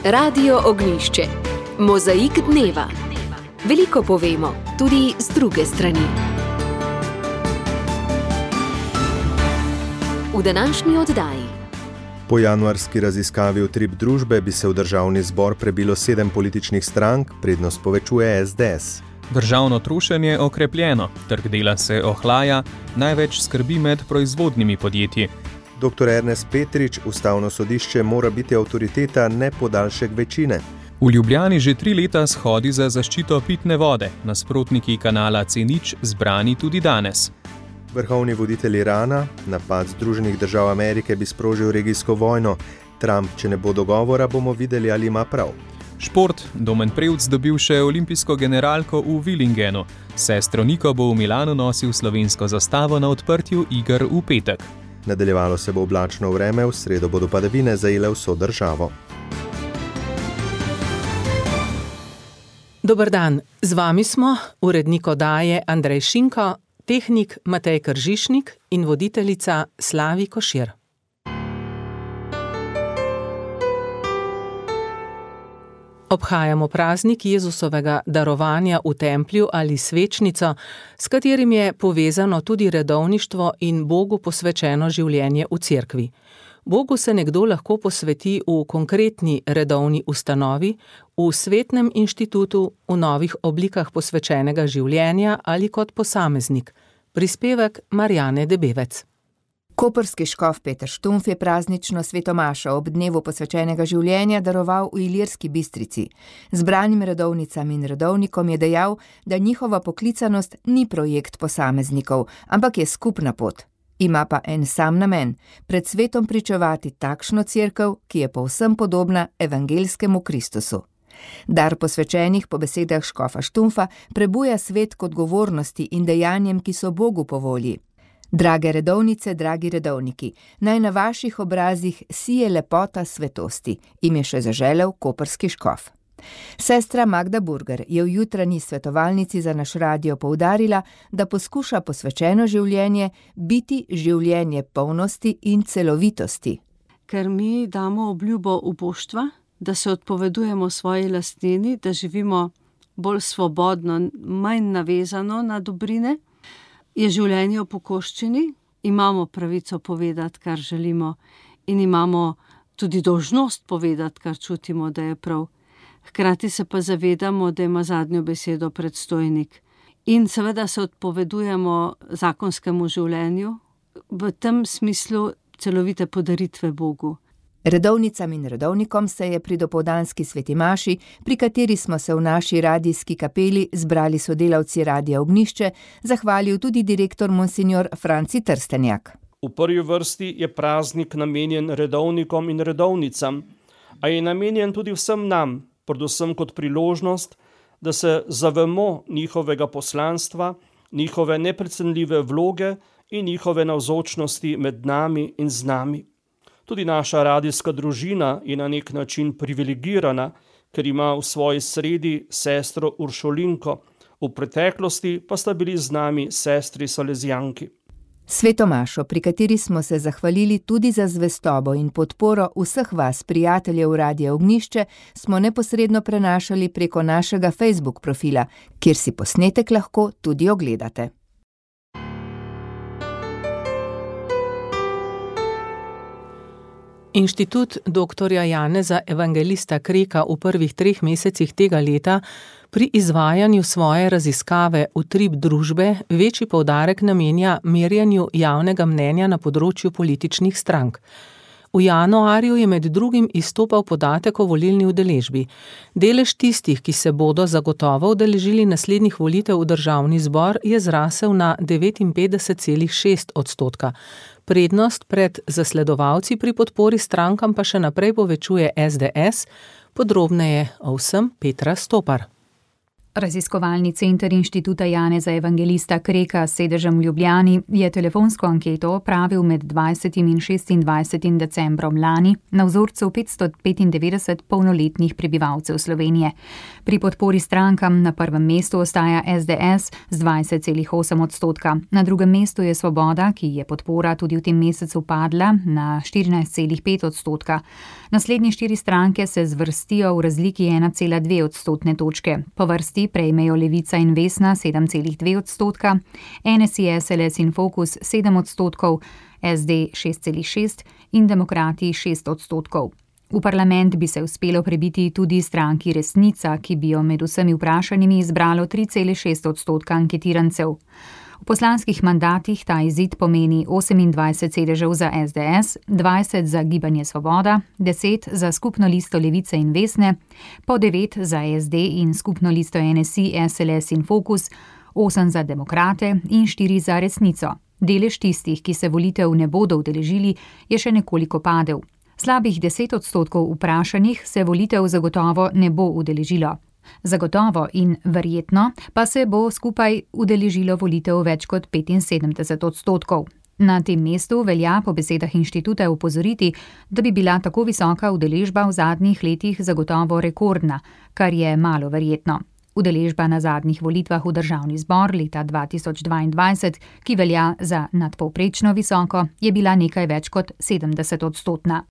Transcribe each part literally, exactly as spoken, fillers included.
Radio Ognjišče. Mozaik dneva. Veliko povemo, tudi z druge strani. V današnji oddaji. Po januarski raziskavi Utrip družbe bi se v državni zbor prebilo sedem političnih strank, prednost povečuje es de es. Državno trošenje okrepljeno, trg dela se ohlaja, največ skrbi med proizvodnimi podjetji. doktor Ernest Petrič, ustavno sodišče mora biti avtoriteta, ne podaljšek večine. V Ljubljani že tri leta shodi za zaščito pitne vode, nasprotniki kanala C nič zbrani tudi danes. Vrhovni voditelj Irana, napad Združenih držav Amerike bi sprožil regijsko vojno. Trump, če ne bo dogovora, bomo videli, ali ima prav. Šport, Domen Prevc dobil še olimpijsko generalko v Willingenu. Sestro Niko bo v Milanu nosil slovensko zastavo na odprtju iger v petek. Nadaljevalo se bo oblačno vreme, v sredo bodo padavine zajele vso državo. Dober dan, z vami smo urednik oddaje Andrej Šinko, tehnik Matej Kržišnik in voditeljica Slavi Košir. Obhajamo praznik Jezusovega darovanja v templju ali svečnico, s katerim je povezano tudi redovništvo in Bogu posvečeno življenje v cerkvi. Bogu se nekdo lahko posveti v konkretni redovni ustanovi, v svetnem inštitutu, v novih oblikah posvečenega življenja ali kot posameznik. Prispevek Marjane Debevec. Koprski škof Peter Štumpf je praznično svetomašo ob dnevu posvečenega življenja daroval v Ilirski Bistrici. Zbranim redovnicam in redovnikom je dejal, da njihova poklicanost ni projekt posameznikov, ampak je skupna pot. Ima pa en sam namen, pred svetom pričevati takšno cerkev, ki je povsem podobna evangeljskemu Kristusu. Dar posvečenih po besedah škofa Štumpfa prebuja svet k odgovornosti in dejanjem, ki so Bogu po volji. Drage redovnice, dragi redovniki, naj na vaših obrazih sije lepota svetosti, jim je še zaželel koprski škof. Sestra Magda Burger je v jutranji svetovalnici za naš radio poudarila, da poskuša posvečeno življenje biti življenje polnosti in celovitosti. Ker mi damo obljubo uboštva, da se odpovedujemo svoji lastnini, da živimo bolj svobodno, manj navezano na dobrine, je življenje v pokoščini, imamo pravico povedati, kar želimo, in imamo tudi dolžnost povedati, kar čutimo, da je prav. Hkrati se pa zavedamo, da ima zadnjo besedo predstojnik. In seveda se odpovedujemo zakonskemu življenju, v tem smislu celovite podaritve Bogu. Redovnicam in redovnikom se je pri dopoldanski sveti maši, pri kateri smo se v naši radijski kapeli zbrali sodelavci Radia Ognjišče, zahvalil tudi direktor monsignor Franci Trstenjak. V prvi vrsti je praznik namenjen redovnikom in redovnicam, a je namenjen tudi vsem nam, predvsem kot priložnost, da se zavemo njihovega poslanstva, njihove neprecenljive vloge in njihove navzočnosti med nami in z nami. Tudi naša radijska družina je na nek način privilegirana, ker ima v svoji sredi sestro Uršulinko, v preteklosti pa sta bili z nami sestri Salezijanki. Svetomašo, pri kateri smo se zahvalili tudi za zvestobo in podporo vseh vas, prijateljev Radia Ognjišče, smo neposredno prenašali preko našega Facebook profila, kjer si posnetek lahko tudi ogledate. Inštitut doktorja Janeza Evangelista Kreka v prvih treh mesecih tega leta pri izvajanju svoje raziskave Utrip družbe večji poudarek namenja merjenju javnega mnenja na področju političnih strank. V januarju je med drugim izstopal podatek o volilni udeležbi. Delež tistih, ki se bodo zagotovo udeležili naslednjih volitev v državni zbor, je zrasel na devetinpetdeset celih šest odstotka. Prednost pred zasledovalci pri podpori strankam pa še naprej povečuje es de es, podrobneje o vsem Petra Stopar. Raziskovalni center Inštituta Janeza Evangelista Kreka s sedežem v Ljubljani je telefonsko anketo opravil med dvajsetim in šestindvajsetim decembrom lani na vzorcu petsto petindevetdeset polnoletnih prebivalcev Slovenije. Pri podpori strankam na prvem mestu ostaja es de es z dvajset celih osem odstotka. Na drugem mestu je Svoboda, ki je podpora tudi v tem mesecu padla na štirinajst celih pet odstotka. Naslednje štiri stranke se zvrstijo v razliki ena cela dve odstotne točke. Po vrsti prejmejo Levica in Vesna sedem celih dve odstotka, en es i, es el es in Fokus sedem odstotkov, es de šest celih šest in Demokrati šest odstotkov. V parlament bi se uspelo prebiti tudi stranki Resnica, ki bi jo med vsemi vprašanimi izbralo tri celih šest odstotka anketirancev. V poslanskih mandatih ta izid pomeni osemindvajset sedežev za es de es, dvajset za Gibanje Svoboda, deset za skupno listo Levice in Vesne, po devet za es de in skupno listo en es i, es el es in Fokus, osem za Demokrate in štiri za Resnico. Delež tistih, ki se volitev ne bodo udeležili, je še nekoliko padel. Slabih deset odstotkov vprašanih se volitev zagotovo ne bo udeležilo. Zagotovo in verjetno pa se bo skupaj udeležilo volitev več kot petinsedemdeset odstotkov. Na tem mestu velja po besedah inštituta opozoriti, da bi bila tako visoka udeležba v zadnjih letih zagotovo rekordna, kar je malo verjetno. Udeležba na zadnjih volitvah v državni zbor leta dva tisoč dvaindvajset, ki velja za nadpovprečno visoko, je bila nekaj več kot sedemdeset odstotna.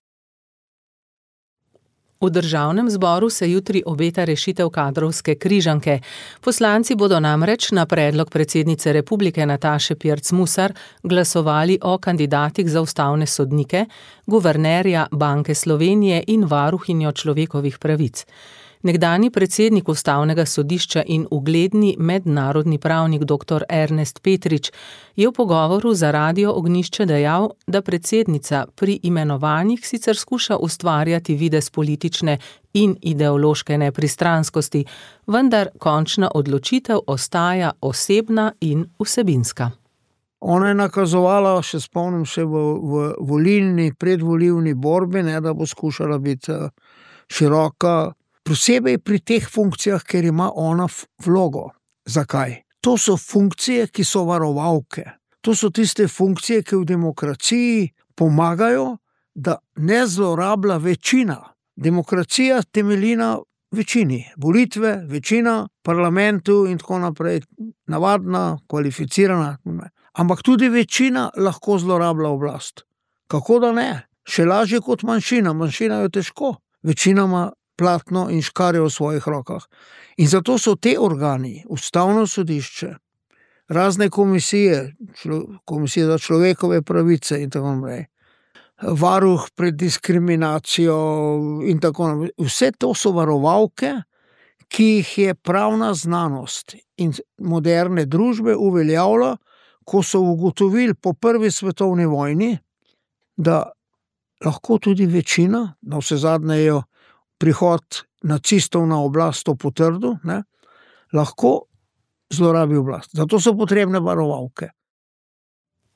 V državnem zboru se jutri obeta rešitev kadrovske križanke. Poslanci bodo namreč na predlog predsednice republike Nataše Pirc Musar glasovali o kandidatih za ustavne sodnike, guvernerja Banke Slovenije in varuhinjo človekovih pravic. Nekdanji predsednik ustavnega sodišča in ugledni mednarodni pravnik doktor Ernest Petrič je v pogovoru za Radio Ognjišče dejal, da predsednica pri imenovanjih sicer skuša ustvarjati videz politične in ideološke nepristranskosti, vendar končna odločitev ostaja osebna in vsebinska. Ona je nakazovala, še spomnim se, v, v volilni, predvolilni borbi, ne, da bo skušala biti široka, posebej pri teh funkcijah, ker ima ona vlogo. Zakaj? To so funkcije, ki so varovalke. To so tiste funkcije, ki v demokraciji pomagajo, da ne zlorablja večina. Demokracija temelji na večini. Volitve, večina, parlamentu in tako naprej. Navadna, kvalificirana. Ampak tudi večina lahko zlorablja oblast. Kako da ne? Še lažje kot manjšina. Manjšina je težko. Večina ima platno in škarje v svojih rokah. In zato so te organi, ustavno sodišče, razne komisije, člo, komisije za človekove pravice in tako naprej, varuh pred diskriminacijo in tako naprej. Vse to so varovalke, ki jih je pravna znanost in moderne družbe uveljavila, ko so ugotovili po prvi svetovni vojni, da lahko tudi večina, na vse zadnje je prihod nacistov na oblast to potrdil, ne, lahko zlorabi oblast. Zato so potrebne varovalke.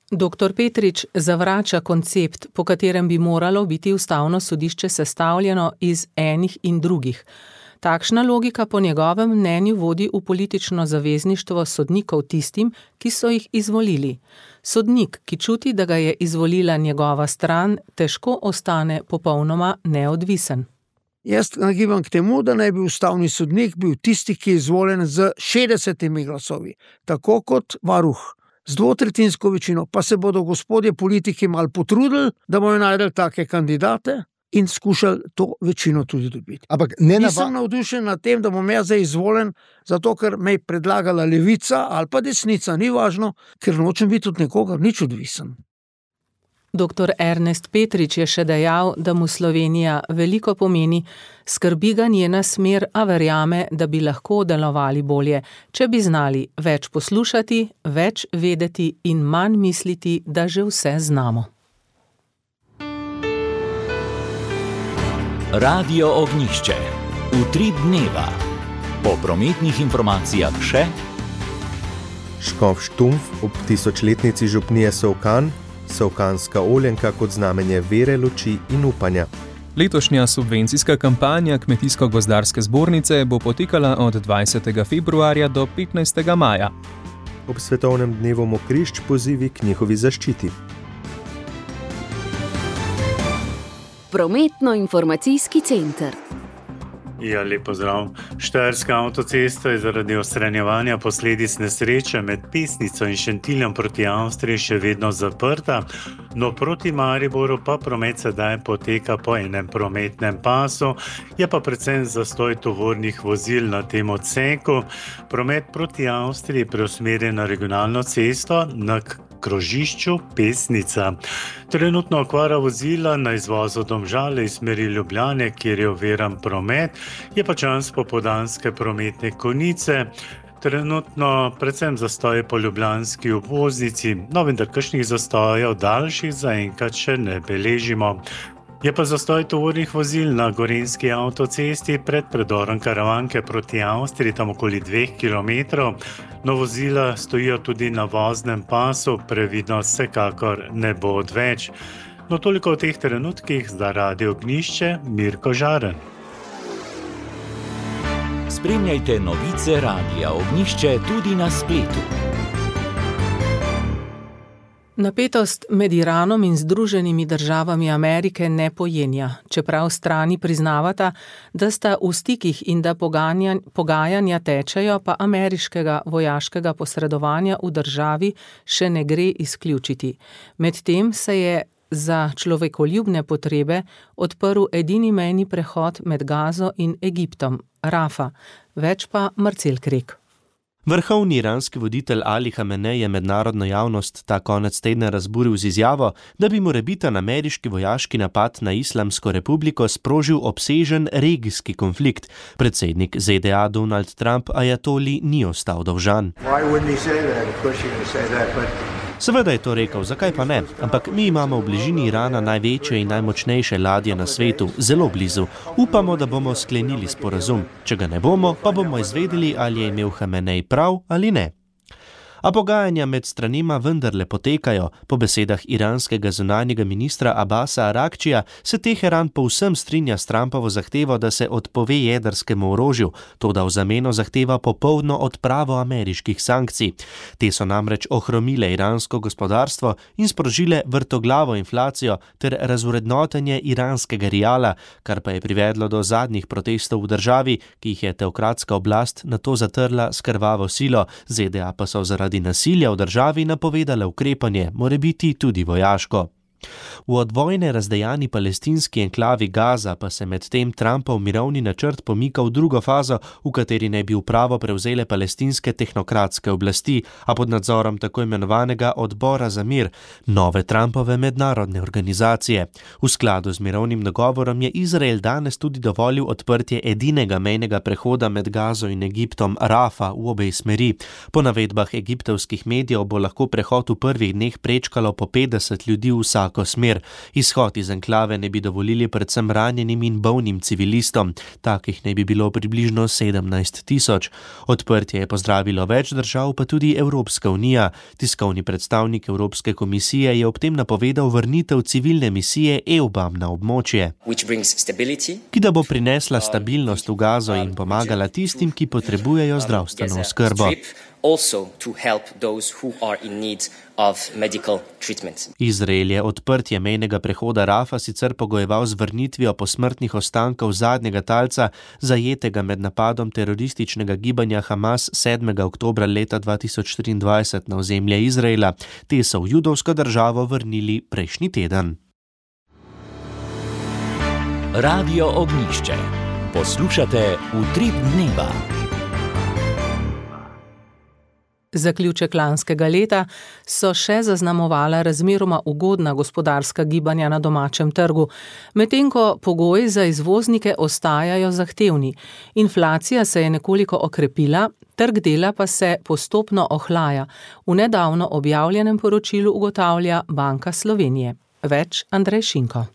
Doktor Petrič zavrača koncept, po katerem bi moralo biti ustavno sodišče sestavljeno iz enih in drugih. Takšna logika po njegovem mnenju vodi v politično zavezništvo sodnikov tistim, ki so jih izvolili. Sodnik, ki čuti, da ga je izvolila njegova stran, težko ostane popolnoma neodvisen. Jaz nagibam k temu, da naj bi ustavni sodnik bil tisti, ki je izvoljen z šestdesetimi glasovi, tako kot varuh, z dvotretjinsko večino, pa se bodo gospodje politiki malo potrudili, da bojo najdeli take kandidate in skušali to večino tudi dobiti. Ampak ne nava... Nisem navdušen nad tem, da bom jaz zdaj izvoljen, zato ker me je predlagala levica ali pa desnica, ni važno, ker nočem biti od nekoga nič odvisen. Doktor Ernest Petrič je še dejal, da mu Slovenija veliko pomeni, skrbi ga njena smer, a verjame, da bi lahko delovali bolje, če bi znali več poslušati, več vedeti in manj misliti, da že vse znamo. Radio Ognjišče. Utrip dneva. Po prometnih informacijah še Škof Štumpf ob tisočletnici župnije Solkan, solkanska oljenka kot znamenje vere, luči in upanja. Letošnja subvencijska kampanja Kmetijsko-gozdarske zbornice bo potekala od dvajsetega februarja do petnajstega maja. Ob svetovnem dnevu mokrišč pozivi k njihovi zaščiti. Prometno-informacijski center. Ja, lep pozdrav. Štajerska avtocesta je zaradi odstranjevanja posledic nesreče med Pesnico in Šentiljem proti Avstriji še vedno zaprta, no proti Mariboru pa promet sedaj poteka po enem prometnem pasu, je pa predvsem zastoj tovornih vozil na tem odseku. Promet proti Avstriji preusmerja na regionalno cesto na krožišču Pesnica. Trenutno okvara vozila na izvozu Domžale iz smeri Ljubljane, kjer je oviran promet, je pa čas popoldanske prometne konice. Trenutno predvsem zastoje po ljubljanski obvoznici, no vendar kakšnih zastojev daljših zaenkrat še ne beležimo. Je pa zastoj tovornih vozil na Gorenjski avtocesti pred predorom Karavanke proti Avstriji, tam okoli dveh kilometrov. No, vozila stojijo tudi na voznem pasu, previdnost vsekakor ne bo odveč. No, toliko v teh trenutkih, za Radio Ognjišče, Mirko Žaren. Spremljajte novice Radia Ognjišče tudi na spletu. Napetost med Iranom in Združenimi državami Amerike ne pojenja, čeprav strani priznavata, da sta v stikih in da pogajanja, pogajanja tečejo, pa ameriškega vojaškega posredovanja v državi še ne gre izključiti. Medtem se je za človekoljubne potrebe odprl edini mejni prehod med Gazo in Egiptom, Rafa, več pa Marcel Krek. Vrhovni iranski voditelj Ali Hamenej je mednarodno javnost ta konec tedna razburil z izjavo, da bi morebiten ameriški vojaški napad na Islamsko republiko sprožil obsežen regijski konflikt. Predsednik Z D A Donald Trump ajatoli ni ostal dolžan. Seveda je to rekel, zakaj pa ne, ampak mi imamo v bližini Irana največje in najmočnejše ladje na svetu, zelo blizu. Upamo, da bomo sklenili sporazum. Če ga ne bomo, pa bomo izvedeli, ali je imel Hamenej prav ali ne. A pogajanja med stranima vendarle potekajo. Po besedah iranskega zunanjega ministra Abasa Arakčija se Teheran povsem strinja s Trumpovo zahtevo, da se odpove jedrskemu orožju, toda v zameno zahteva popolno odpravo ameriških sankcij. Te so namreč ohromile iransko gospodarstvo in sprožile vrtoglavo inflacijo ter razvrednotenje iranskega riala, kar pa je privedlo do zadnjih protestov v državi, ki jih je teokratska oblast nato zatrla s krvavo silo, Z D A pa so zaradi nasilja v državi napovedale ukrepanje, morebiti tudi vojaško. V od vojne razdejani palestinski enklavi Gaza pa se med tem Trumpov mirovni načrt pomika v drugo fazo, v kateri naj bi upravo prevzele palestinske tehnokratske oblasti, a pod nadzorom tako imenovanega odbora za mir, nove Trumpove mednarodne organizacije. V skladu z mirovnim dogovorom je Izrael danes tudi dovolil odprtje edinega mejnega prehoda med Gazo in Egiptom, Rafa, v obe smeri. Po navedbah egiptovskih medijev bo lahko prehod v prvih dneh prečkalo po petdeset ljudi vsako smer. Izhod iz enklave ne bi dovolili predvsem ranjenim in bolnim civilistom. Takih ne bi bilo približno sedemnajst tisoč. Odprtje je pozdravilo več držav, pa tudi Evropska unija. Tiskovni predstavnik Evropske komisije je ob tem napovedal vrnitev civilne misije EUBAM na območje, ki da bo prinesla stabilnost v Gazo in pomagala tistim, ki potrebujejo zdravstveno oskrbo. Also to help those who are in need of medical treatment. Izrael je odprtje mejnega prehoda Rafa sicer pogojeval z vrnitvijo posmrtnih ostankov zadnjega talca, zajetega med napadom terorističnega gibanja Hamas sedmega oktobra leta dva tisoč štiriindvajset na ozemlje Izraela. Te so v judovsko državo vrnili prejšnji teden. Radio Ognjišče. Poslušate Utrip dneva. Zaključek lanskega leta so še zaznamovala razmeroma ugodna gospodarska gibanja na domačem trgu, medtem ko pogoji za izvoznike ostajajo zahtevni. Inflacija se je nekoliko okrepila, trg dela pa se postopno ohlaja. V nedavno objavljenem poročilu ugotavlja Banka Slovenije. Več Andrej Šinko.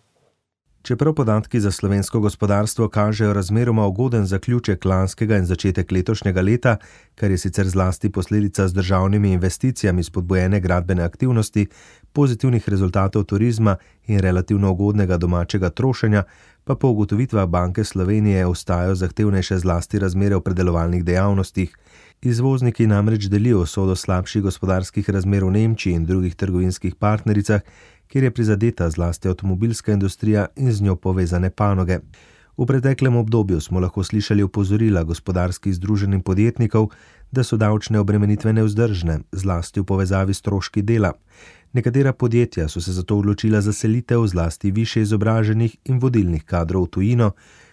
Čeprav podatki za slovensko gospodarstvo kažejo razmeroma ugoden zaključek lanskega in začetek letošnjega leta, kar je sicer zlasti posledica z državnimi investicijami spodbujene gradbene aktivnosti, pozitivnih rezultatov turizma in relativno ugodnega domačega trošenja pa po ugotovitvah Banke Slovenije ostajajo zahtevnejše zlasti razmere v predelovalnih dejavnostih. Izvozniki namreč delijo usodo slabših gospodarskih razmer v Nemčiji in drugih trgovinskih partnericah, kjer je prizadeta zlasti avtomobilska industrija in z njo povezane panoge. V preteklem obdobju smo lahko slišali opozorila gospodarskih združenj podjetnikov, da so davčne obremenitve nevzdržne, zlasti v povezavi s stroški dela. Nekatera podjetja so se zato odločila za selitev zlasti višje izobraženih in vodilnih kadrov v tujino,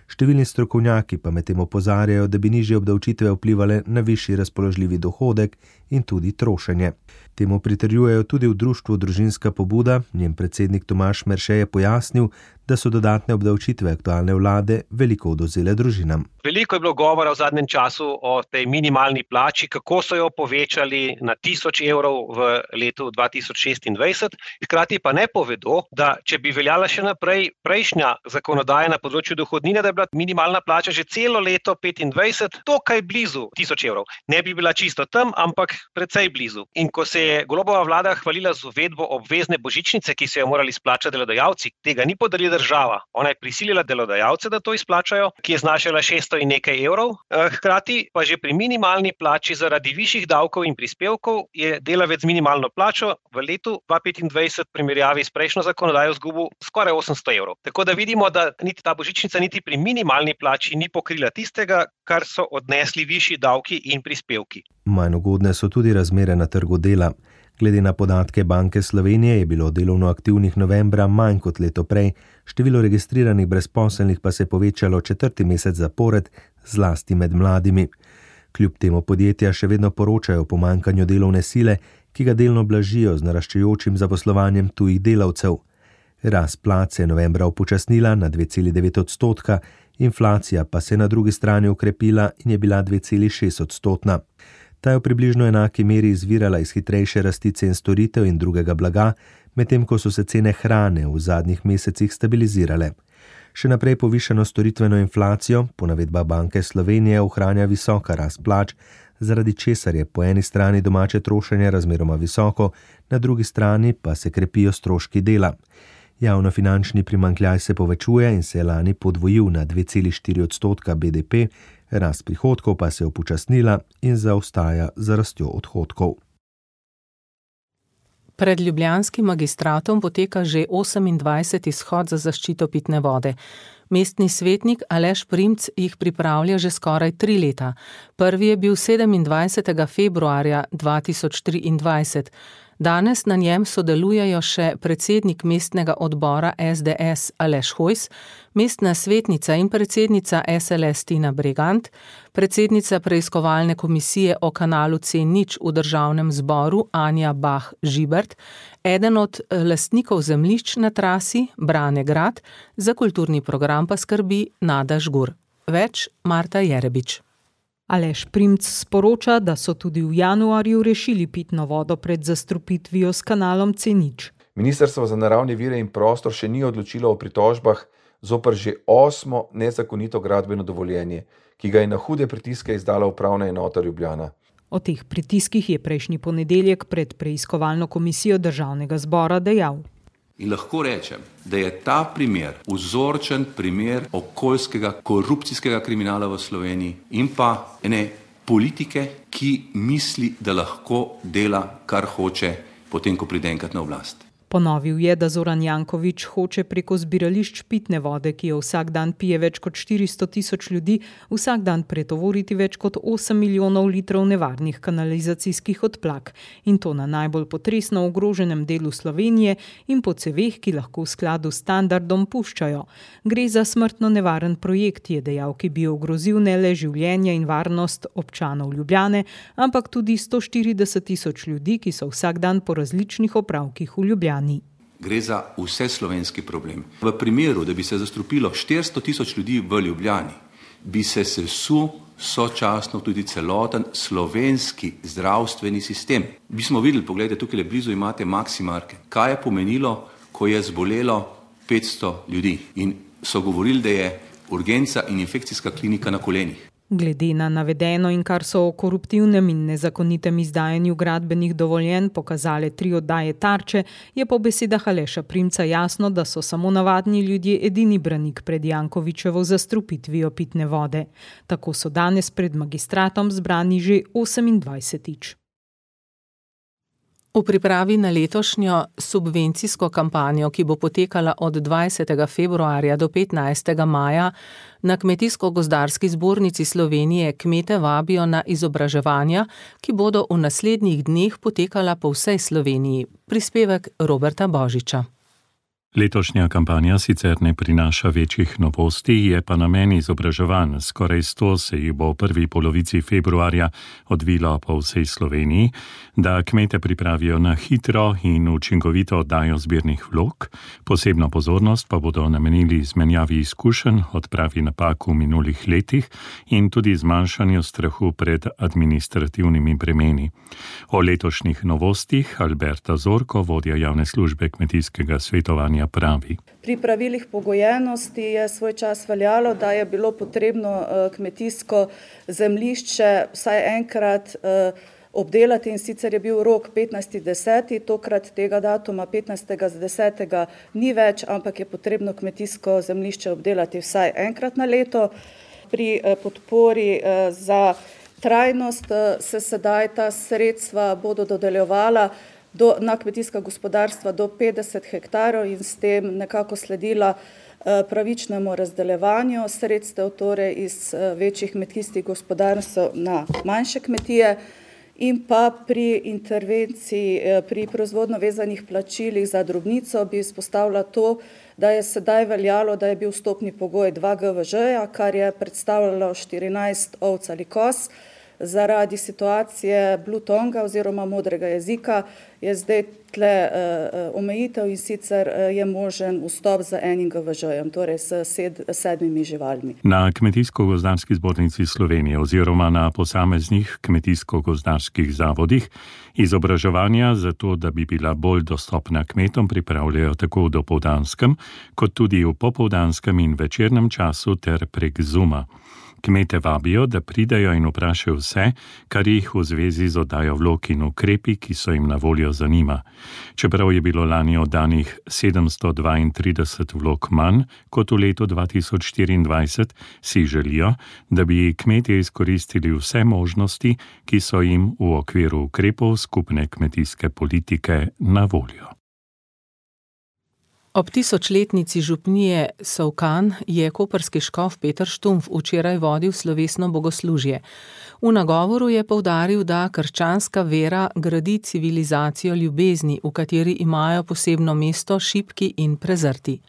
številni strokovnjaki pa medtem opozarjajo, da bi nižje obdavčitve vplivale na višji razpoložljivi dohodek in tudi trošenje. Temu pritrjujejo tudi v društvu Družinska pobuda, njen predsednik Tomaž Merše je pojasnil, da so dodatne obdavčitve aktualne vlade veliko odvzele družinam. Veliko je bilo govora v zadnjem času o tej minimalni plači, kako so jo povečali na tisoč evrov v letu dva tisoč šestindvajset. Hkrati pa ne povedo, da če bi veljala še naprej prejšnja zakonodaja na področju dohodnine, da je bila minimalna plača že celo leto petindvajset dokaj blizu tisoč evrov. Ne bi bila čisto tam, ampak precej blizu. In ko se je Golobova vlada hvalila z uvedbo obvezne božičnice, ki so jo morali izplačati delodajalci, tega ni podarila država. Ona je prisilila delodajalce, da to izplačajo, ki je znašala šeststo in nekaj evrov. Hkrati pa že pri minimalni plači zaradi višjih davkov in prispevkov je delavec z minimalno plačo v letu dva tisoč petindvajset v primerjavi s prejšnjo zakonodajo izgubil skoraj osemsto evrov. Tako da vidimo, da niti ta božičnica niti pri minimalni plači ni pokrila tistega, kar so odnesli višji davki in prispevki. Manj ugodne so tudi razmere na trgu dela. Glede na podatke Banke Slovenije je bilo delovno aktivnih novembra manj kot leto prej, število registriranih brezposelnih pa se je povečalo četrti mesec zapored, zlasti med mladimi. Kljub temu podjetja še vedno poročajo o pomanjkanju delovne sile, ki ga delno blažijo z naraščajočim zaposlovanjem tujih delavcev. Rast plač se je novembra upočasnila na dve celi devet odstotka, inflacija pa se je na drugi strani ukrepila in je bila dve celi šest odstotna. Ta je v približno enaki meri izvirala iz hitrejše rasti cen storitev in drugega blaga, medtem ko so se cene hrane v zadnjih mesecih stabilizirale. Še naprej povišano storitveno inflacijo, po navedbah Banke Slovenije, ohranja visoka rast plač, zaradi česar je po eni strani domače trošenje razmeroma visoko, na drugi strani pa se krepijo stroški dela. Javnofinančni primanjkljaj se povečuje in se je lani podvojil na dve celi štiri odstotka B D P, rast prihodkov pa se je upočasnila in zaostaja za rastjo odhodkov. Pred ljubljanskim magistratom poteka že osemindvajseti shod za zaščito pitne vode. Mestni svetnik Aleš Primc jih pripravlja že skoraj tri leta. Prvi je bil sedemindvajsetega februarja dva tisoč triindvajset. Danes na njem sodelujejo še predsednik mestnega odbora S D S Aleš Hojs, mestna svetnica in predsednica S L S Tina Bregant, predsednica preiskovalne komisije o kanalu C nič v državnem zboru Anja Bah Žibert, eden od lastnikov zemljišč na trasi Brane Grad, za kulturni program pa skrbi Nada Žgur. Več Marta Jerebič. Aleš Primc sporoča, da so tudi v januarju rešili pitno vodo pred zastrupitvijo s kanalom C nič. Ministrstvo za naravne vire in prostor še ni odločilo o pritožbah zoper že osmo nezakonito gradbeno dovoljenje, ki ga je na hude pritiske izdala upravna enota Ljubljana. O teh pritiskih je prejšnji ponedeljek pred preiskovalno komisijo državnega zbora dejal. In lahko rečem, da je ta primer vzorčen primer okoljskega korupcijskega kriminala v Sloveniji in pa ene politike, ki misli, da lahko dela, kar hoče, potem ko pride enkrat na oblast. Ponovil je, da Zoran Janković hoče preko zbirališč pitne vode, ki jo vsak dan pije več kot štiristo tisoč ljudi, vsak dan pretovoriti več kot osem milijonov litrov nevarnih kanalizacijskih odplak. In to na najbolj potresno ogroženem delu Slovenije in po ceveh, ki lahko v skladu s standardom puščajo. Gre za smrtno nevaren projekt, je dejal, ki bi ogrozil ne le življenje in varnost občanov Ljubljane, ampak tudi sto štirideset tisoč ljudi, ki so vsak dan po različnih opravkih v Ljubljani. Gre za vse slovenski problem. V primeru, da bi se zastrupilo štiristo tisoč ljudi v Ljubljani, bi se sesul sočasno tudi celoten slovenski zdravstveni sistem. Bi smo videli, pogledajte, tukaj blizu imate Maximarke. Kaj je pomenilo, ko je zbolelo petsto ljudi in so govorili, da je urgenca in infekcijska klinika na kolenih. Glede na navedeno in kar so o koruptivnem in nezakonitem izdajanju gradbenih dovoljenj pokazale tri oddaje Tarče, je po besedah Aleša Primca jasno, da so samo navadni ljudje edini branik pred Jankovićevo zastrupitvijo pitne vode. Tako so danes pred magistratom zbrani že osemindvajsetič. V pripravi na letošnjo subvencijsko kampanjo, ki bo potekala od dvajsetega februarja do petnajstega maja, na Kmetijsko-gozdarski zbornici Slovenije kmete vabijo na izobraževanja, ki bodo v naslednjih dneh potekala po vsej Sloveniji. Prispevek Roberta Božiča. Letošnja kampanja sicer ne prinaša večjih novosti, je pa namen izobraževanj. Skoraj sto se jih bo v prvi polovici februarja odvilo po vsej Sloveniji, da kmete pripravijo na hitro in učinkovito oddajo zbirnih vlog. Posebno pozornost pa bodo namenili izmenjavi izkušenj, odpravi napak v minulih letih in tudi zmanjšanju strahu pred administrativnimi bremeni. O letošnjih novostih Alberta Zorko, vodja javne službe kmetijskega svetovanja, pravi. Pri pravilih pogojenosti je svoj čas veljalo, da je bilo potrebno kmetijsko zemljišče vsaj enkrat obdelati, in sicer je bil rok petnajsti deseti, tokrat tega datuma petnajstega desetega ni več, ampak je potrebno kmetijsko zemljišče obdelati vsaj enkrat na leto. Pri podpori za trajnost se sedaj ta sredstva bodo dodeljevala Do, na kmetijska gospodarstva do petdeset hektarov in s tem nekako sledila eh, pravičnemu razdeljevanju sredstev, torej iz eh, večjih kmetijskih gospodarstv na manjše kmetije, in pa pri intervenciji, eh, pri proizvodno vezanih plačilih za drobnico bi izpostavila to, da je sedaj veljalo, da je bil vstopni pogoj dva G V Ž-ja, kar je predstavljalo štirinajst ovc ali koz. Zaradi situacije Blue Tonga oziroma modrega jezika je zdaj tle uh, omejitev, in sicer uh, je možen vstop z enim G V Ž-jem, torej s sed, sedmimi živalmi. Na Kmetijsko-gozdarski zbornici Slovenije oziroma na posameznih kmetijsko-gozdarskih zavodih izobraževanja za to, da bi bila bolj dostopna kmetom, pripravljajo tako v dopoldanskem, kot tudi v popoldanskem in večernem času ter prek Zooma. Kmete vabijo, da pridejo in vprašajo vse, kar jih v zvezi z oddajo vlog in ukrepi, ki so jim na voljo, zanima. Čeprav je bilo lani oddanih sedemsto dvaintrideset vlog manj kot v letu dva tisoč štiriindvajset, si želijo, da bi kmetje izkoristili vse možnosti, ki so jim v okviru ukrepov skupne kmetijske politike na voljo. Ob tisočletnici župnije Solkan je koprski škof Peter Štumpf včeraj vodil slovesno bogoslužje. V nagovoru je poudaril, da krščanska vera gradi civilizacijo ljubezni, v kateri imajo posebno mesto šibki in prezrti.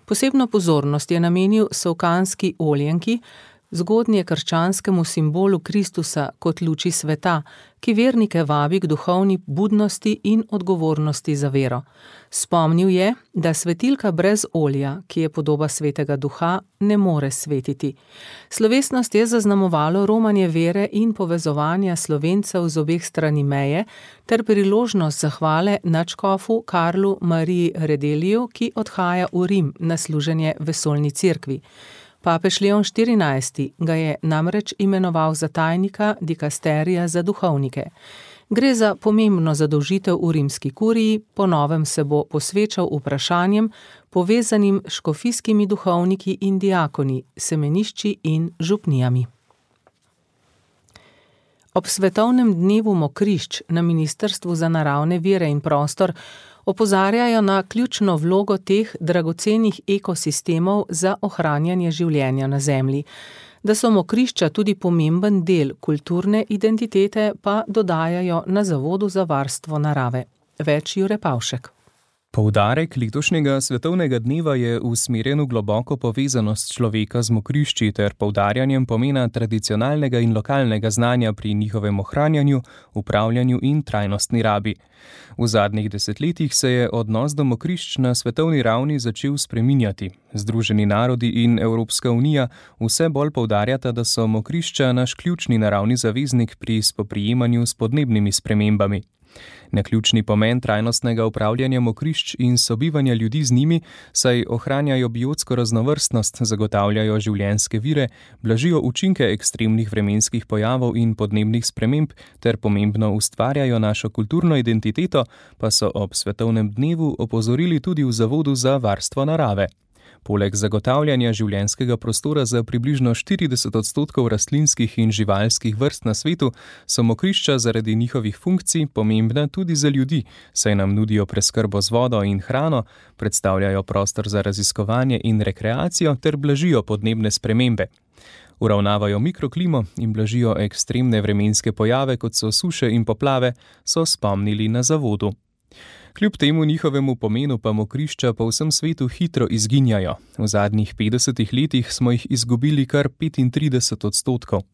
Posebno pozornost je namenil solkanski oljenki, zgodnje krščanskemu simbolu Kristusa kot luči sveta, ki vernike vabi k duhovni budnosti in odgovornosti za vero. Spomnil je, da svetilka brez olja, ki je podoba svetega duha, ne more svetiti. Slovesnost je zaznamovalo romanje vere in povezovanja Slovencev z obeh strani meje ter priložnost zahvale nadškofu Karlu Mariji Redeliju, ki odhaja v Rim na služenje vesoljni cerkvi. Papež Leon štirinajsti ga je namreč imenoval za tajnika dikasterija za duhovnike. Gre za pomembno zadolžitev v rimski kuriji, po novem se bo posvečal vprašanjem, povezanim s škofijskimi duhovniki in diakoni, semenišči in župnijami. Ob svetovnem dnevu mokrišč na Ministrstvu za naravne vire in prostor opozarjajo na ključno vlogo teh dragocenih ekosistemov za ohranjanje življenja na Zemlji. Da so mokrišča tudi pomemben del kulturne identitete, pa dodajajo na Zavodu za varstvo narave. Več Jure Pavšek. Poudarek letošnjega svetovnega dneva je usmerjen v globoko povezanost človeka z mokrišči ter poudarjanjem pomena tradicionalnega in lokalnega znanja pri njihovem ohranjanju, upravljanju in trajnostni rabi. V zadnjih desetletjih se je odnos do mokrišč na svetovni ravni začel spreminjati. Združeni narodi in Evropska unija vse bolj poudarjata, da so mokrišča naš ključni naravni zaveznik pri spoprijemanju s podnebnimi spremembami. Naključni pomen trajnostnega upravljanja mokrišč in sobivanja ljudi z njimi, saj ohranjajo biotsko raznovrstnost, zagotavljajo življenjske vire, blažijo učinke ekstremnih vremenskih pojavov in podnebnih sprememb ter pomembno ustvarjajo našo kulturno identiteto, pa so ob svetovnem dnevu opozorili tudi v Zavodu za varstvo narave. Poleg zagotavljanja življenjskega prostora za približno štirideset odstotkov rastlinskih in živalskih vrst na svetu, so mokrišča zaradi njihovih funkcij pomembna tudi za ljudi, saj nam nudijo preskrbo z vodo in hrano, predstavljajo prostor za raziskovanje in rekreacijo ter blažijo podnebne spremembe. Uravnavajo mikroklimo in blažijo ekstremne vremenske pojave, kot so suše in poplave, so spomnili na zavodu. Kljub temu njihovemu pomenu pa mokrišča po vsem svetu hitro izginjajo. V zadnjih petdesetih letih smo jih izgubili kar petintrideset odstotkov.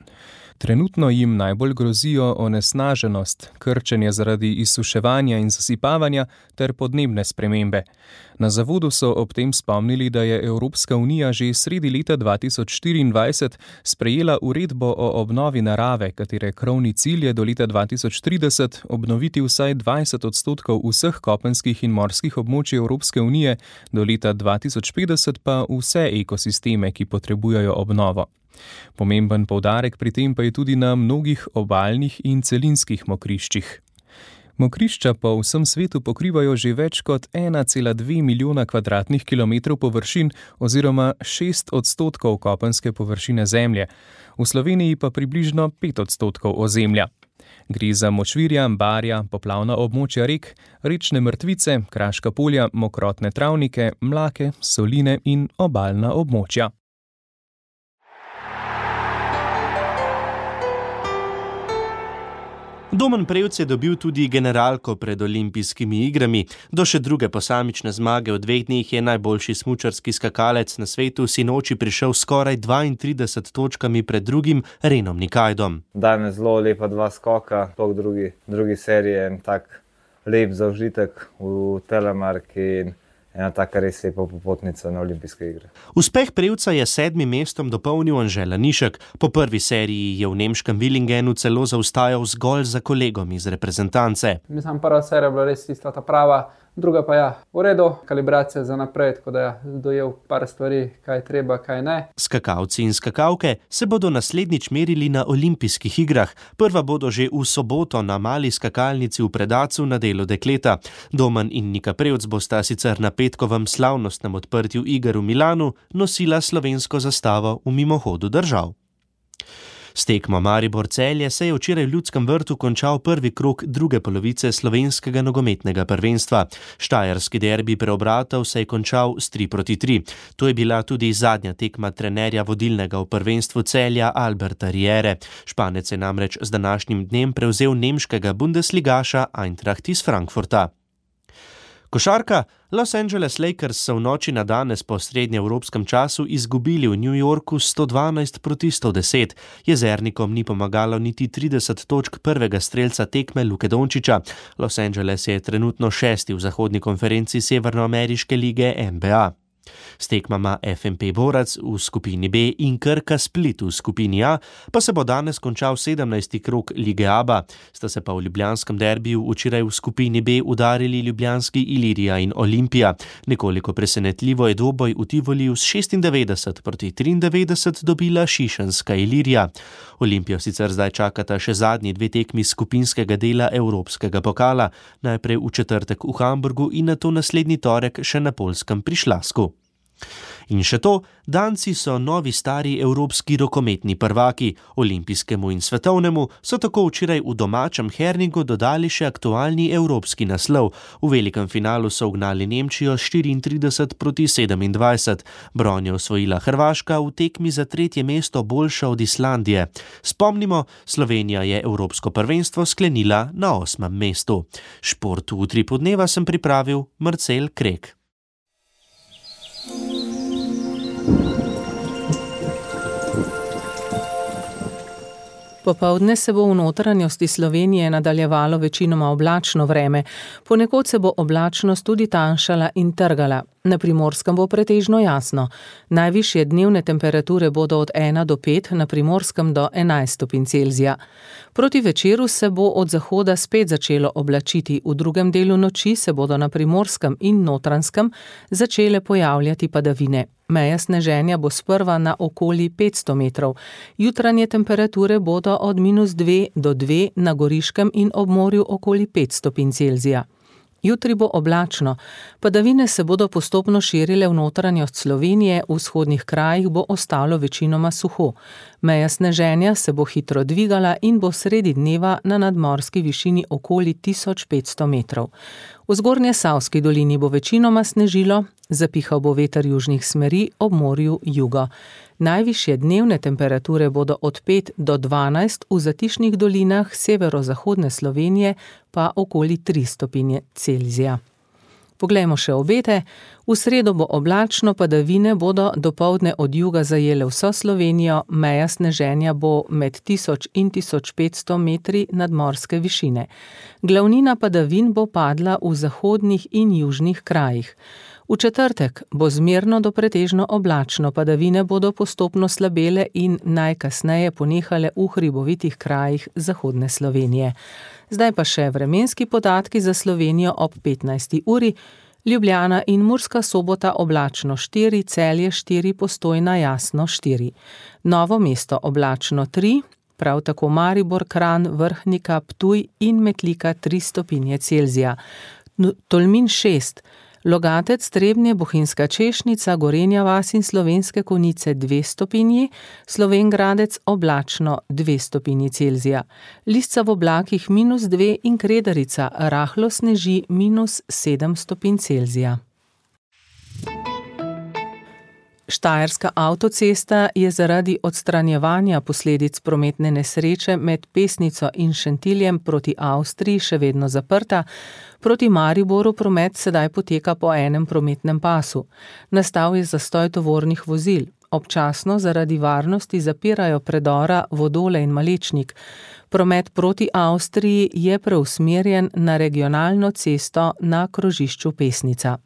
Trenutno jim najbolj grozijo onesnaženost, krčenje zaradi izsuševanja in zasipavanja ter podnebne spremembe. Na zavodu so ob tem spomnili, da je Evropska unija že sredi leta dva tisoč štiriindvajset sprejela uredbo o obnovi narave, katere krovni cilj je do leta dva tisoč trideset obnoviti vsaj dvajset odstotkov vseh kopenskih in morskih območij Evropske unije, do leta dva tisoč petdeset pa vse ekosisteme, ki potrebujejo obnovo. Pomemben poudarek pri tem pa je tudi na mnogih obalnih in celinskih mokriščih. Mokrišča po vsem svetu pokrivajo že več kot ena cela dve milijona kvadratnih kilometrov površin oziroma šest odstotkov kopenske površine zemlje, v Sloveniji pa približno pet odstotkov ozemlja. Gre za močvirja, barja, poplavna območja rek, rečne mrtvice, kraška polja, mokrotne travnike, mlake, soline in obalna območja. Domen Prevc je dobil tudi generalko pred olimpijskimi igrami. Do še druge posamične zmage v dveh dneh je najboljši smučarski skakalec na svetu sinoči prišel skoraj dvaintrideset točkami pred drugim Renom Nikajdom. Danes zelo lepa dva skoka, po drugi, drugi seriji en tak lep zaužitek v telemarki in ena taka res lepa popotnica na olimpijske igre. Uspeh Prevca je sedmim mestom dopolnil Anže Lanišek. Po prvi seriji je v nemškem Villingenu celo zaostajal zgolj za kolegom iz reprezentance. Mislim, prva serija bila res tista ta prava, druga pa ja, v redu, kalibracija za naprej, tako da ja, dojel par stvari, kaj treba, kaj ne. Skakalci in skakalke se bodo naslednjič merili na olimpijskih igrah. Prva bodo že v soboto na mali skakalnici v Predacu na delu dekleta. Domen in Nika Prevc bosta sicer na petkovem slavnostnem odprtju iger v Milanu nosila slovensko zastavo v mimohodu držav. S tekmo Maribor-Celje se je včeraj v Ljudskem vrtu končal prvi krog druge polovice slovenskega nogometnega prvenstva. Štajerski derbi Preobratov se je končal s tri proti tri. To je bila tudi zadnja tekma trenerja vodilnega v prvenstvu Celja Alberta Riere. Španec je namreč z današnjim dnem prevzel nemškega bundesligaša Eintracht iz Frankfurta. Košarka. Los Angeles Lakers so v noči na danes po srednjeevropskem času izgubili v New Yorku sto dvanajst proti sto deset. Jezernikom ni pomagalo niti trideset točk prvega strelca tekme Luke Dončića. Los Angeles je trenutno šesti v zahodni konferenci Severnoameriške lige N B A. S tekmama F M P Borac v skupini B in Krka Split v skupini A pa se bo danes končal sedemnajsti krog lige A B A. Sta se pa v ljubljanskem derbiju včeraj v skupini B udarili ljubljanski Ilirija in Olimpija. Nekoliko presenetljivo je dvoboj v Tivoliju s šestindevetdeset proti triindevetdeset dobila šišenska Ilirija. Olimpijo sicer zdaj čakata še zadnji dve tekmi skupinskega dela Evropskega pokala, najprej v četrtek v Hamburgu in nato naslednji torek še na Poljskem pri Šlasku. In še to, Danci so novi stari evropski rokometni prvaki. Olimpijskemu in svetovnemu so tako včeraj v domačem Herningu dodali še aktualni evropski naslov. V velikem finalu so ugnali Nemčijo štiriintrideset proti sedemindvajset. Bron je osvojila Hrvaška, v tekmi za tretje mesto boljša od Islandije. Spomnimo, Slovenija je evropsko prvenstvo sklenila na osmem mestu. Šport v utripu dneva sem pripravil Marcel Krek. Popoldne se bo v notranjosti Slovenije nadaljevalo večinoma oblačno vreme, ponekod se bo oblačnost tudi tanjšala in trgala. Na Primorskem bo pretežno jasno. Najvišje dnevne temperature bodo od ena do pet, na Primorskem do enajst stopinj Celzija. Proti večeru se bo od zahoda spet začelo oblačiti, v drugem delu noči se bodo na Primorskem in Notranjskem začele pojavljati padavine. Meja sneženja bo sprva na okoli petsto metrov. Jutranje temperature bodo od minus dve do dve, na Goriškem in ob morju okoli pet stopinj Celzija. Jutri bo oblačno, padavine se bodo postopno širile v notranjost Slovenije, v vzhodnih krajih bo ostalo večinoma suho. Meja sneženja se bo hitro dvigala in bo sredi dneva na nadmorski višini okoli tisoč petsto metrov. V zgornje Savski dolini bo večinoma snežilo, zapihal bo veter južnih smeri, ob morju jugo. Najvišje dnevne temperature bodo od pet do dvanajst, v zatišnih dolinah severozahodne Slovenije pa okoli tri stopinje Celzija. Poglejmo še obete. V sredo bo oblačno, padavine bodo dopoldne od juga zajele vso Slovenijo, meja sneženja bo med tisoč in tisoč petsto metri nadmorske višine. Glavnina padavin bo padla v zahodnih in južnih krajih. V četrtek bo zmerno do pretežno oblačno, padavine bodo postopno slabele in najkasneje ponehale v hribovitih krajih zahodne Slovenije. Zdaj pa še vremenski podatki za Slovenijo ob petnajsti uri. Ljubljana in Murska Sobota oblačno štiri, Celje štiri, Postojna jasno štiri. Novo mesto oblačno tri, prav tako Maribor, Kranj, Vrhnika, Ptuj in Metlika tri stopinje Celzija. Tolmin šest, Logatec, Trebnje, Bohinjska Češnica, Gorenja vas in Slovenske Konjice dve stopinji, Slovenj Gradec oblačno dve stopinji Celzija. Lisca v oblakih minus dve in Kredarica rahlo sneži minus sedem stopinj Celzija. Štajerska avtocesta je zaradi odstranjevanja posledic prometne nesreče med Pesnico in Šentiljem proti Avstriji še vedno zaprta. Proti Mariboru promet sedaj poteka po enem prometnem pasu. Nastal je zastoj tovornih vozil. Občasno zaradi varnosti zapirajo predora Vodole in Malečnik. Promet proti Avstriji je preusmerjen na regionalno cesto na krožišču Pesnica.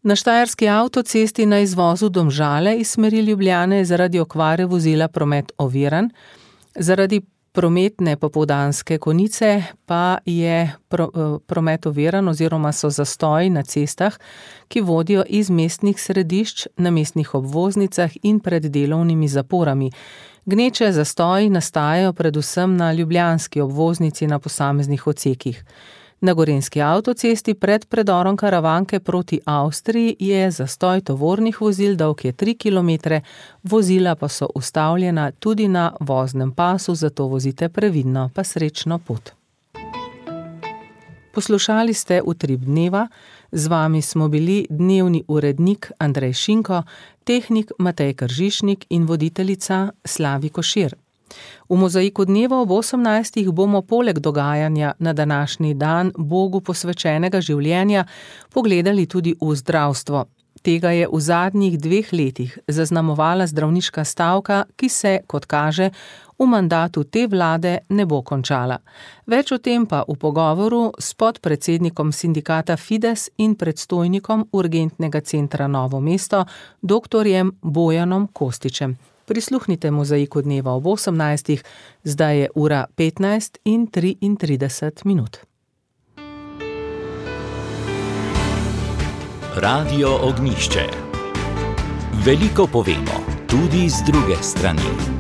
Na štajerski avtocesti na izvozu Domžale iz smeri Ljubljane je zaradi okvare vozila promet oviran. Zaradi prometne popoldanske konice pa je pro, promet oviran oziroma so zastoji na cestah, ki vodijo iz mestnih središč na mestnih obvoznicah in pred delovnimi zaporami. Gneče zastoji nastajajo predvsem na ljubljanski obvoznici na posameznih odsekih. Na gorenjski avtocesti pred predorom Karavanke proti Avstriji je zastoj tovornih vozil, dolg je tri kilometre, vozila pa so ustavljena tudi na voznem pasu, zato vozite previdno, pa srečno pot. Poslušali ste Utrip dneva, z vami smo bili dnevni urednik Andrej Šinko, tehnik Matej Kržišnik in voditeljica Slavi Košir. V Mozaiku dneva ob osemnajstih bomo poleg dogajanja na današnji dan Bogu posvečenega življenja pogledali tudi v zdravstvo. Tega je v zadnjih dveh letih zaznamovala zdravniška stavka, ki se, kot kaže, v mandatu te vlade ne bo končala. Več o tem pa v pogovoru s podpredsednikom sindikata Fides in predstojnikom urgentnega centra Novo mesto, doktorjem Bojanom Kostičem. Prisluhnite Mozaiku dneva ob osemnajstih, zdaj je ura petnajst in triintrideset minut. Radio Ognjišče. Veliko povemo, tudi z druge strani.